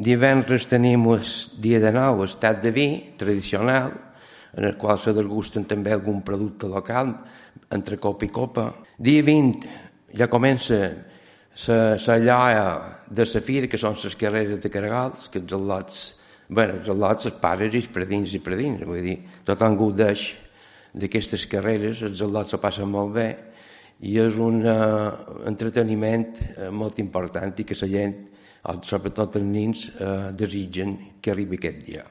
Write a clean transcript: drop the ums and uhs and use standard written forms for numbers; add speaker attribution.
Speaker 1: Divendres tenim el dia de nou, el tat de vi tradicional, en el qual se degusten també algun producte local, entre copa i copa. Dia 20 ja comença la lloa de la fira, que són les carreres de caragals, que els al·lots, els pares i els predins, vull dir, tothom gaudeix d'aquestes carreres, els al·lots se passen molt bé, i és un entreteniment molt important i que la gent, sobretot els nens, desitgen que arribi aquest dia.